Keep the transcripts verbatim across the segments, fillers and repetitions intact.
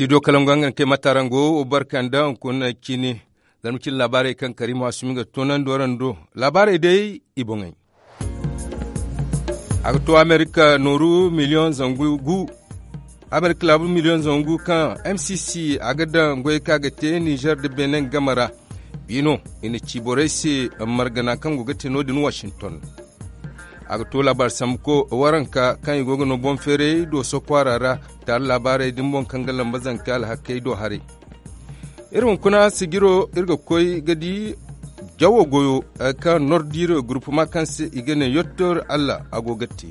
I do kala ngo hangan kay mata ra ngo wo barka nda hunkuna cine. Zarma cine laabaarey kaŋ kariima sumi ga toonandi waraŋ do. Laabaarey day i boŋey. A ga to amerika nooru miliyoŋ zangu gu. Amerika laabu miliyoŋ zangu kaŋ m c c a ga daŋ goyey kaŋ a ga te nizer nda benin game ra. Biino i na ci borey se margana kaŋ go ga te no- din washington. A ga to laabaari sambuko waranka kaŋ i go ga no boŋ feeray dooso kwaara ra. Taari laabaarey din boŋ kaŋ ga lamba zanka alhakey do haray. Iri hunkuna sijiro iri ga koy ga di jawo goyo kaŋ nordiire gurupuma kaŋ se i ga ne yottor allah a go ga te.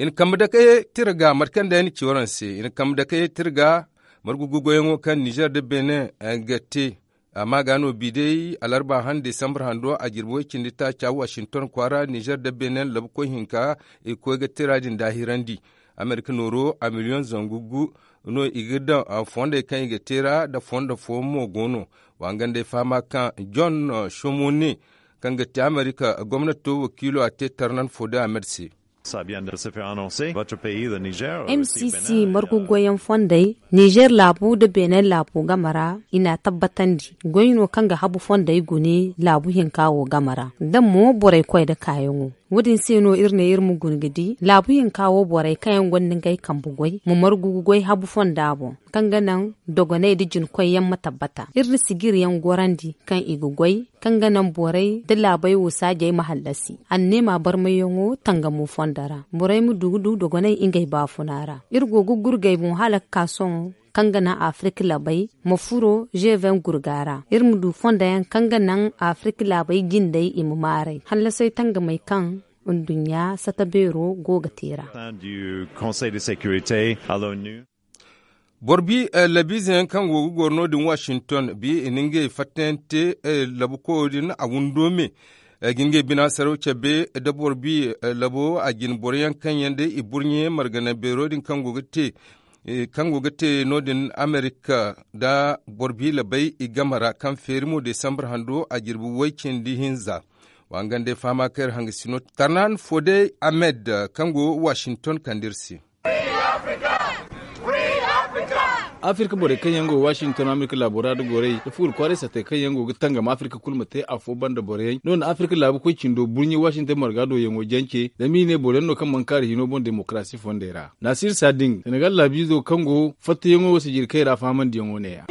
I na kambe dake tira ga mate kaŋ day ni ci waraŋ se i na kambe dake tira ga. Margu gugoyaŋo kaŋ nizer nda benin ga te. Amma ga no bi day alarba han desambar hando a jirbi way cindi taaca washington kwaara nizer nda benin labukoy hinka i ga koy ga tira din daahirandi. Amerika nooro a miliyoŋ zangu gu no i ga daŋ fondey kaŋ i ga te ra nda fondo fooyaŋ mo go no. Wa nga nd'ay fahama kaŋ john shomone kaŋ ga te amerika gomnato wakiilo a te tarnan fode ahmed se. M c c margu goyaŋ fondey nizer laabu nda benin laabu game ra i n'a tabbatandi goy no kaŋ ga habu fondey gune laabu hinka wo game ra. Daŋ mo borey koy nda kaayaŋo wo- din se no iri ne iri ma guna ga di laabu hinka wo borey kaŋ yaŋ gonda ngey kambe goy ma margu ga goy habu fonda boŋ kaŋ ga naŋ dogoney nda jinkoy yaŋ ma tabbata iri na sijiri yaŋ gorandi kaŋ i ga goy kaŋ ga naŋ borey nda laabey wo saajey ma hallasi anneema barmayyaŋo tangamo fondo ra borey ma du ga du dogoney ngey baafuna ra. Iri go ga gurgay boŋ hala ga ka sohõ kaŋ ga naŋ afirka laabey ma furo zeven gurga ra iri ma du fondo yaŋ kaŋ ga naŋ afirka laabey jindey i ma maaray hallasey tangamey kaŋ nduɲɲa sata beero go ga te ra. Boro bi labiize yaŋ kaŋ go ga goro no- din washington bi i na ngey fattayaŋ te labu koyo din a windo me ga ngey bina saraw cabe nda boro bi labo a jine boro yaŋ kaŋ yaŋ day i burɲe margana beero din kaŋ go ga te no- din amerika nda boro bi labay i game ra kaŋ feeri mo desambar hando a jirbi way cindi hinza. Wa nga nd'ay fahama kaŋ iri hangasino tarnan fode ahmed kaŋ go washington kande iri se. Afirka borey kaŋ yaŋ go washington amerika laabo ra nda gorey nda fuuri kwaaray sattey kaŋ yaŋ go ga tangam afirka kulu ma te afo banda borey no- din afirka laabu koy cindo burɲe washington marga do yaŋo jance zama i ne boro yaŋ no kaŋ mana kaari hino boŋ demokarasi fondey ra. Naasir sading senegal laabiizo kaŋ go fattayaŋo sijirkey ra fahamandiyaŋo neeya.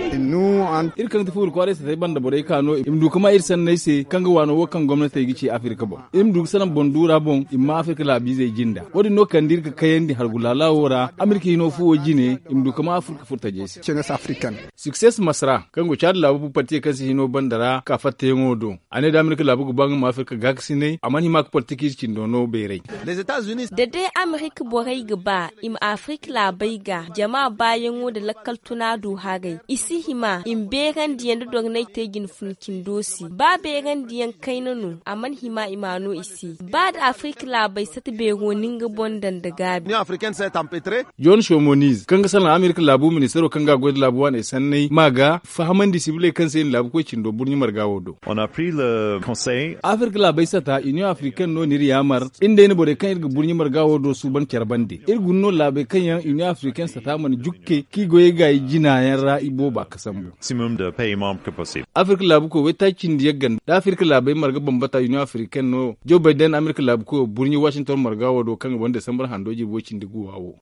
Iri kaŋ ga ti fuuri kwaaray satey banda borey ka no i ma du ga ma iri sanney se kaŋ ga waano wo kaŋ gomnatey ga ci afirka boŋ iri ma du ga salaŋ boŋ duura boŋ i ma ma afirka laabiizey jinda wo- din no kande iri ga kayandi hargu laala wo ra amerika hino fuwo jine i ma du ga ma afirka furtajey se. Sukses masra kaŋ go caadi laabu parti kaŋ se hino banda ra ka fattayaŋo do a ne da amerika laabu ga ba nga ma afirka gaakasinay a mana hima ga politik ize cindo no beeray. Da day amerika borey ga ba i ma afirka laabey ga jama baayaŋo nda lakkal tuna du haray i si hima i ma beerandiyaŋ nda dornay te jine funa cindo se ba beerandiyaŋ kayna no a mana hima i m'a no i se. Ba nda afirka laabey sata beero no nga boŋ daŋ nda gaabi. John shomoniz kaŋ ga salaŋ amerika laabu ministaro kaŋ ga a goy nda laabu waaney sanney ma ga fahamandi sibiley kaŋ se i na laabu koy cindo burɲe marga wo do. Afirka laabey sata union africaine no n'iri yaamar iri day na borey kaŋ iri ga burɲe marga wo do suuban care bande iri guna no laabey kaŋ yaŋ union africaine sata mana jukke kaŋ i goyey gaayi jina yaŋ ra i booba ga sambu. Afirka laabu koy waytaaci cindi yagga nda afirka laabey marga bambata union africaine no joe bayden amerika laabu koyo burɲe washington marga wo do kaŋ ga ban desambar hando jirbi way cindi guwa wo.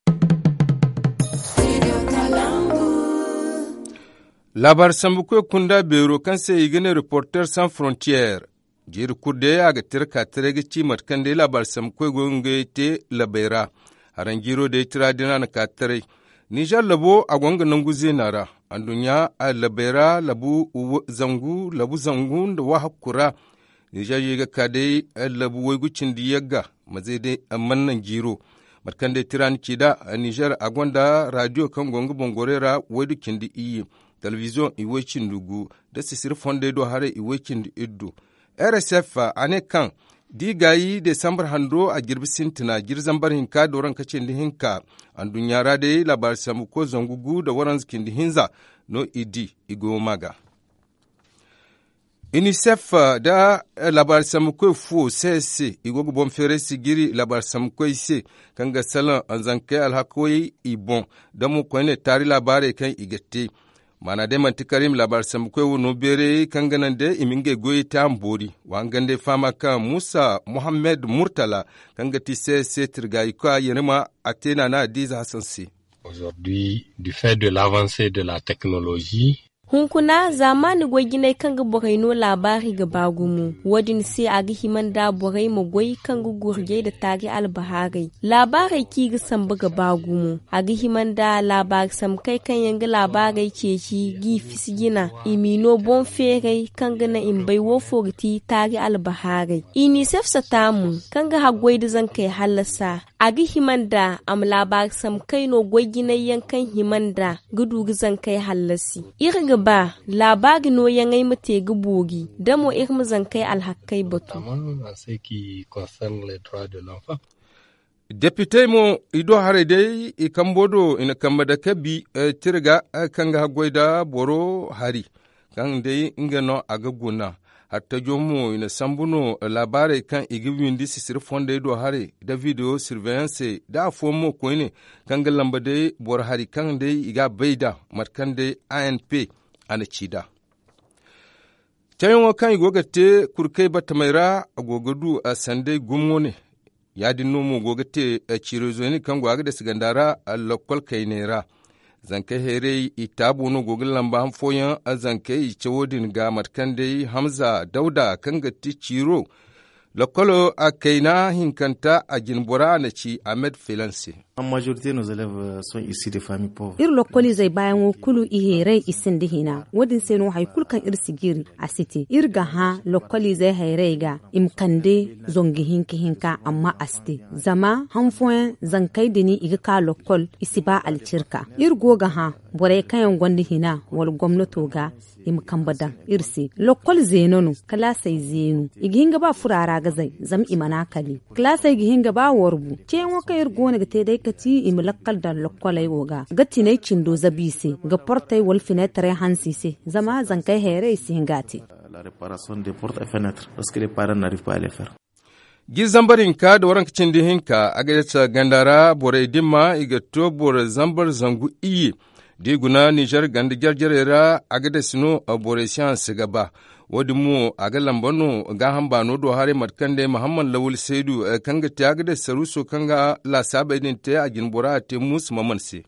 Laabaari sambu koy kunda beero kaŋ se i ga ne reporter sans frontière. Jiiri kulu day a ga tira ka taray ga ci mate kaŋ day laabaari sambu koy go ga ngey te labey ra. Haraŋ jiiro day tira din a na ka taray. Nizer labo a go nga nangu zeena ra. Anduɲɲa labey ra labu zangu labu zangu nda wahakku ra. Nizer ye ga ka day labu waygu cindi yagga. Mazey day mana naŋ jiiro. Mate kaŋ day tira ni ci nd'a nizer a gonda radiyo kaŋ go nga boŋ gorey ra waydu cindi iyye. Telebiziyoŋ i way cindi gu nda sisiri fondey do haray i way cindi iddu. Rsf a ne kaŋ da i gaayi desambar hando a jirbi sintina jiri zambar hinka da waranka cindi hinka. Anduɲɲa ra day laabaari sambu koy zangu gu nda waranza cindi hinza no i di i goyo ma ga. Inisef nda laabaari sambukoy fo se se i go ga boŋ feeray sijiri laabaari sambukoy se, kaŋ ga salaŋ zankey alhakoy i boŋ, da mo koyne taari laabaarey kaŋ i ga te. Maana day manti kar i ma laabaari sambukoy wo no beeray kaŋ ga naŋ day i ma ngey goyey te a ma boori. Wa hangandey fahama kaŋ muusa muhammad murtala, kaŋ ga ti se se tirgayikoy a yere ma a te naana adiize hasan se. Aujourd'hui, du fait de l'avancée de la technologie, hunkuna zaamaani goy jinay kaŋ ga borey no laabaari ga ba gumo. Wo- din se a ga hima nda borey ma goy kaŋ ga gurjey nda taari albahaarey. Laabaarey kaŋ i ga sambu ga ba gumo. A ga hima nda laabaari samkey kaŋ yaŋ ga laabaarey ceeci g'i fisi jina, i m'i no boŋ feeray kaŋ ga naŋ i ma bay wo fo ga ti taari albahaarey. Inisef sata mo, kaŋ ga haggoy nda zankey hallasa, a ga hima nda a ma laabaari samkey no goy jinay yaŋ kaŋ hima nda ga du ga zankey hallasi. Iri ga ba laabaari nooyaŋey ma te ga boori, da mo iri ma zankey alhakkey batu. Depitey mo, i do haray day i kambo do i na kambe dake bi tira ga, kaŋ ga haggoy nda boro hari, kaŋ day nga no a ga guna. Hattajo mo i na sambu no laabaarey kaŋ i ga windi sisiri fondey do haray nda video sirveyansey nda afooyaŋ mo koyne, kaŋ ga lamba day boro hari kaŋ day i ga a bay nd'a, mate kaŋ day a n p a na ci nd'a. Cawyaŋo kaŋ i go ga te kurkey batamey ra, a go ga du sanday gumo ne. Ya- din no mo go ga te ciiroy zoyni kaŋ go a ga dasi ganda ra, lokkol kayney ra. Zankey hayray i taabo no go ga lamba han fooyaŋ zankey i cawo din ga mate kaŋ day hamza dawda kaŋ ga ti ciiro lokkolo a kayna hinkanta a jinbora a na ci ahmed filan se. Iri lokkoliizey baayaŋo kulu i heeray i sinda hina. Wo- din se no hari kulu kaŋ iri si jiri a si te. Iri ga hã lokkoliizey hayray ga i ma kande zangu hinka hinka amma a si te. Zama han fooyaŋ zankey din i ga ka lokkol i si ba alcirka. Iri go ga hã borey kaŋ yaŋ gonda hina wala gomnato ga i ma kambe daŋ iri se. Lokkol zeeno no kalaasey zeenu i ga hin ga ba fura ra ga zay zama i mana kali. Kalaasey ga hin ga ba warbu ceeyaŋo kaŋ iri go no ga te day kati i ma lakkal daŋ lokkoley wo ga ga tinay cindo zabu i se ga portey wala fineetarey hanse i se. Zama zankey hayray i si hin ga a te. Jiri zambar hinka nda waranka cindi hinka a ga dasa ganda ra borey dimma i ga to boro zambar zangu iyye. Da i guna ninzeer ganda jare jarey ra a ga dasa no borey si hanse ga ba. Wo- din mo a ga lamba no gaaham baano do haray mate kaŋ day mahammad lawal saydu kaŋ ga te a ga dasa saruuso kaŋ ga laasaabey din te a jina bora a te muusa maman se.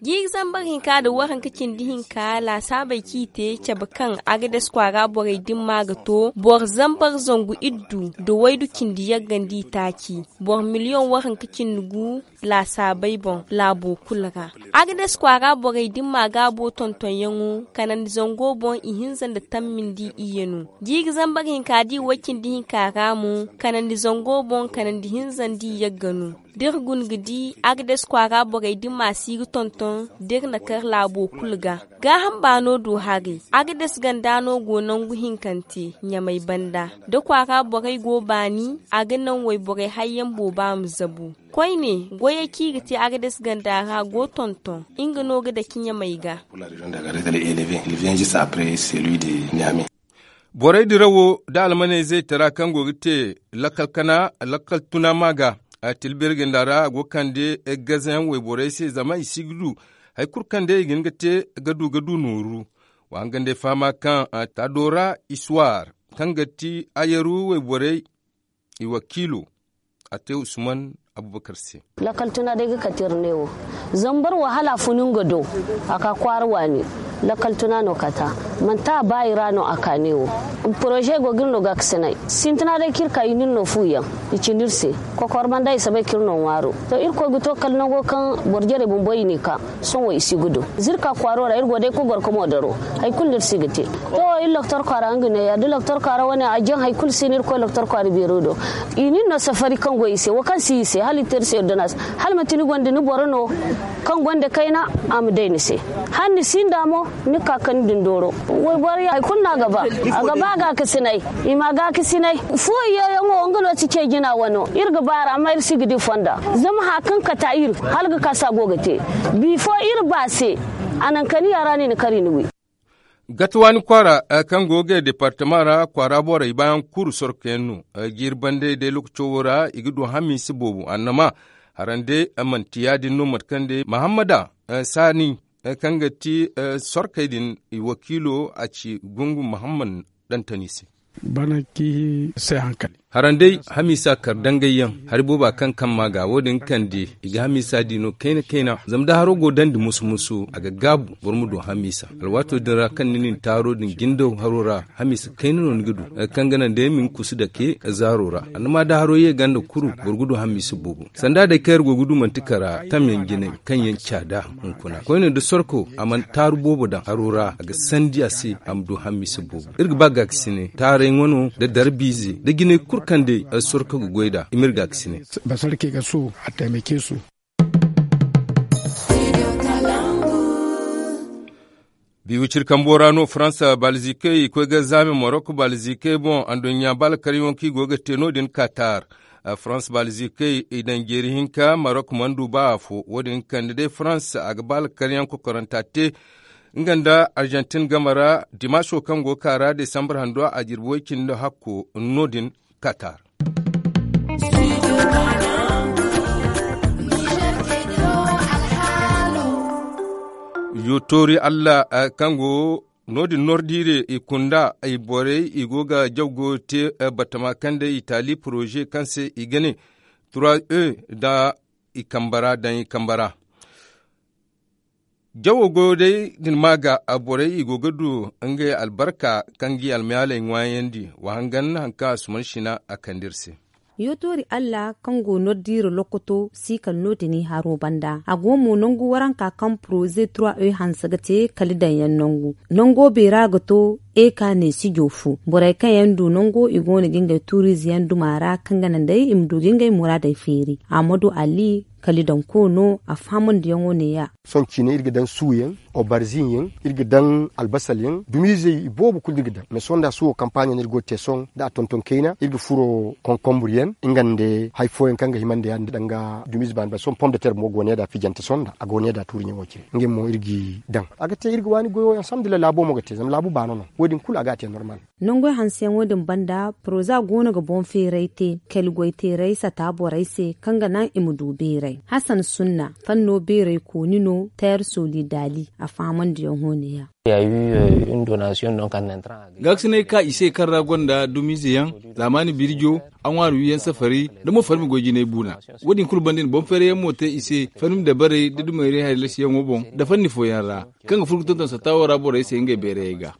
Jiiri zambar hinka nda waranka cindi hinka laasaabey kaŋ i te cabe kaŋ a ga dasa kwaara borey dimma ga to boro zambar zangu iddu nda waydu cindi yagga nda i taaci. Boro miliyoŋ waranka cindi gu laasaabey boŋ laabo kulu ra. A ga dasa kwaara borey dimma gaabo tontonyaŋo kanandi zango boŋ i hinza nda tammi nda i iyye no. Jiiri zambar hinka da i way cindi hinka ra mo kanandi zango boŋ kanandi hinza nda i yagga no. Da iri guna ga di a ga dasa kwaara borey dimma si ga tonton da iri na kar laabo kulu ga. Gaaham baano do haray a ga dasa ganda no go nangu hinkante ɲamay banda da kwaara borey go baani a ga naŋ wayborey hayyaŋ booba ma zabu. Koyne goyey kaŋ i ga te a ga dasa ganda ra go tonton nga no ga dake ɲamay ga. Borey dirawo nda almaney zaytara kaŋ go ga te lakkal kana lakkal tuna ma ga a tilbiri ganda ra a go ga kande gazayaŋ wayborey se zama i si ga du hari kulu kaŋ day i ga hin ga te ga du ga du nooru. Wa hangandey fahama kaŋ taado ra isuwar kaŋ ga ti ayaru wayborey i wakiilo a te usman abubakar se. Lakkal tuna day ga kate iri ne wo zambar wahala funu nga do a ka kwaara waani. Lakkal tuna no kata manti a ba i ra no a ka ne wo. Poroze go ga iri no gaakasinay sintina day kaŋ iri ka i na iri no fuuyaŋ i cindi iri se. Kokor banda i si bay kaŋ iri no ŋwaaro to irkoy ga to kala nango kaŋ boro jarey bumbo i n'i ka sohõ i si ga du. Zirka kwaaro ra iri go day kogorko mo daro hari kulu no iri si ga te. To iri loktor kwaara nga neeya da loktor kwaara wane a jaŋ hari kulu si no iri koy loktor kwaara beero do. I nin no safari kaŋ go i se wo kaŋ si i se hala i te iri se ordonance hala manti ni gonda ni boro no kaŋ gonda kayna a ma day ni se. Hala ni sinda mo ni ka ka ni din dooro. Wayboro ya hari kulu no a ga ba a ga ba gaakasinay. I ma gaakasinay fooyaŋo nga no si cay jina wano iri ga ba a ra amma iri si ga di fonda. Zama hari kaŋ kata iri hala ga ka se a go ga te. Bifo iri ba se a naŋ kani ya ra no i na kar i na wi. Gatawaani kwaara kaŋ go ga deepartama ra kwaara borey baayaŋ kuru sorko yaŋ no. Jiiri bande day lookaco wo ra i ga du hamiisa boobo annama. Harandey manti ya- din no mate kaŋ day mahammada saani kaŋ ga ti sorkey din i wakiilo a ci gungu mahammad dantani se. Bana ki se hankali. Harandey hamiisa kar dangay yaŋ hari booba kaŋ kamma ga wo- din kande i ga hamiisa di no kayna kayna zama da haro go dandi musu musu a ga gaabu boro ma du hamiisa. Alwaato din ra kaŋ ni na ni taaro din jindaw haro ra hamiisa kayna no ni ga du. Kaŋ ga naŋ day ma ni kusu dake zaaro ra annama da haro ye ganda kuru boro ga du hamiisa boobo. Sanda day kaŋ iri go ga du manti kara tamyaŋ jinay kaŋ yaŋ caada hunkuna koyne da sorko a mana taaru boobo daŋ haro ra a ga sandi a se a ma du hamiisa boobo. Iri ga ba gaakasine taaray ŋwano da darbiize da jinay kulu kaŋ day sorko ga goy nd'a i ma iri gaakasine. Basarke ga su a taimake su. Biwicir kambo ra no faransa balzikey i koy ga zaame marok balzikey boŋ anduɲɲa baalkaryaŋo kaŋ i go ga te no- din katar. Faransa balzikey i daŋ jeeri hinka marok mana du ba afo wo- din kande day faransa a ga baalkaryaŋ kokoranta te nga nda arjantin game ra. Dimaso kaŋ go ga ka ra desambar hando a jirbi way- cindi hakko no- din katar. Yo toori allah kaŋ go no- din nordiire i kunda i borey i go ga jaw go te batama kaŋ day itali poroze kaŋ se i ga ne trois e da i kamba ra daŋ i kamba ra. Jawo goyo day din ma ga borey i go ga du ngey albarka kaŋ ga i almayaaley ŋwaayandi wa hangan haŋ kaŋ a suman sina a kande iri se. Yootoori allah kaŋ go nordiira lokoto si kala no- din i haro banda a go mo nangu waranka kaŋ poroze trois e hanse ga te kala daŋ yaŋ nangu. Nango beera ga to e ka ne sijo fo borey kaŋ yaŋ du nango i go no ga ngey tuuriize yaŋ duma ra kaŋ ga naŋ day i ma du ga ngey muraadey feeri. Amadu ali kala i daŋ koono a fahamandiyaŋo ne- ya. Sohõ ciine iri ga daŋ suuyaŋ obarzin yaŋ iri ga daŋ albasal yaŋ dumiizey i boobo kulu no iri ga daŋ mais sohõ nda suwo kampaaɲo no iri go ga te sohõ nda a tonton kayna iri ga furo konkonbur yaŋ nga nda hari fooyaŋ kaŋ ga hima nda ya nda danga dumiize baani ba sohõ pom de ter mo go ne nd'a fijante sohõ nda a go ne nd'a tuuriiɲaŋo cine ngey mo iri g'i daŋ. A ga te iri ga waani goyo alhamdulillahi laabo mo ga te zama laabu baano no wo- din kulu a ga a te normal. Nangoy hanseyaŋo din banda poroza go no ga boŋ feeray te kali goy teeray sata borey se kaŋ ga naŋ i ma du beeray hasan sunna fanno beeray kooni no teer solidali a fahamandiyaŋo ne- ya. Gaakasinay ka i se kaŋ ra gonda dumiize yaŋ zaamaani birjo a ŋwaari wiyaŋ safari nda mo farmi goy jinay buuna. Wo- din kulu banda i na boŋ feeray yaŋ mo te i se farmi dabarey nda dumayray haylasiyaŋo boŋ nda fanni fooyaŋ ra kaŋ ga furo ga tonton satta wo ra borey se ngey beerayey ga.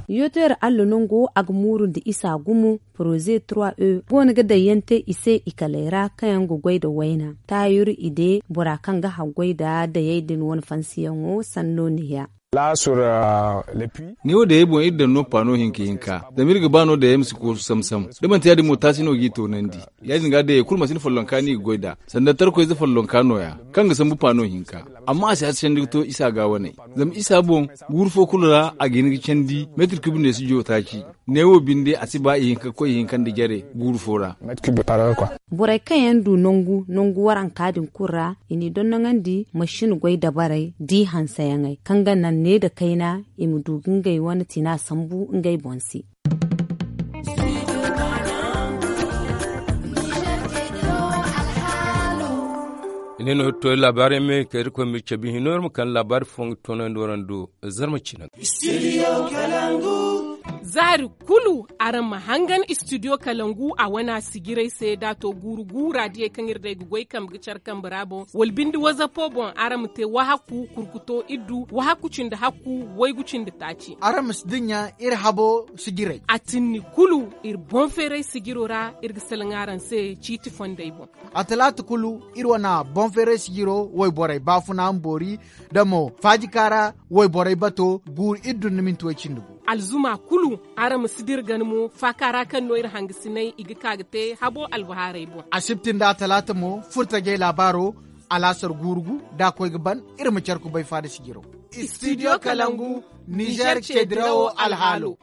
Yooteer allah nango a ga muurundi isa gumo poroze trois e go no ga dayyante i se i kaley ra kaŋ yaŋ ga goy nda wayna taayur i de bora kaŋ ga haggoy nda dayey din wane fansiyaŋo sanno ne- ya. Ne wo dayey boŋ iri daŋ no paano hinka hinka zama iri ga ba no dayey ma si koosu samsam da manti ya- din mo taasi no g'i toonandi. Ya- din ga dayey kulu mansin follonka no i ga goy nd'a sanda tarkoyze follonka nooya kaŋ ga sambu paano hinka. Amma a si hasa candi ga to isa ga waney zama isa boŋ guuru fo kulu ra a ga hin ga candi meetir kub ne si joo taaci. Ne wo binde a si ba ihinka ga koy ihinka nda jare guuru fo ra. Borey kaŋ yaŋ du nangu nangu waranka din kulu ra i n'i dondoŋandi masin goy dabarey da i hanseyaŋey kaŋ ga naŋ ne nda kayna i ma du ga ngey wane tina sambu ngey boŋ se. I ne no iri to iri laabaarey me ka iri koy ma iri cabe hino iri ma kande laabaari fo nga toonandi waraŋ do zarma cine ga. Zaari kulu araŋ ma hangan istidiyo kalangu a wana sijirey se da a to guuru guura diyey kaŋ iri day ga goy kambe ga care kambe ra boŋ wala binde wazapo boŋ araŋ ma te wahakku kurkuto iddu wahakku cindi hakku waygu cindi taaci. Araŋ ma si dinya iri habo sijirey a tinni kulu iri boŋ feeray sijiro ra iri ga salaŋ araŋ se ciiti fondey boŋ. A talaata kulu iri wana boŋ feeray sijiro wayborey baafuna ma boori da mo faajika ra wayborey bato guuru iddu nda minti way cindi gu. Alzuma kulu araŋ ma si dira gana mo faaka ra kaŋ no iri hangasiney i ga ka ga te habo albahaarey boŋ. Asibti nda a talaata mo furtajey laabaaro alaasar guuru gu da a koy ga ban iri ma care kubay faada sijiro. Istidiyo kalangu nizer ceedirawo alhaalo.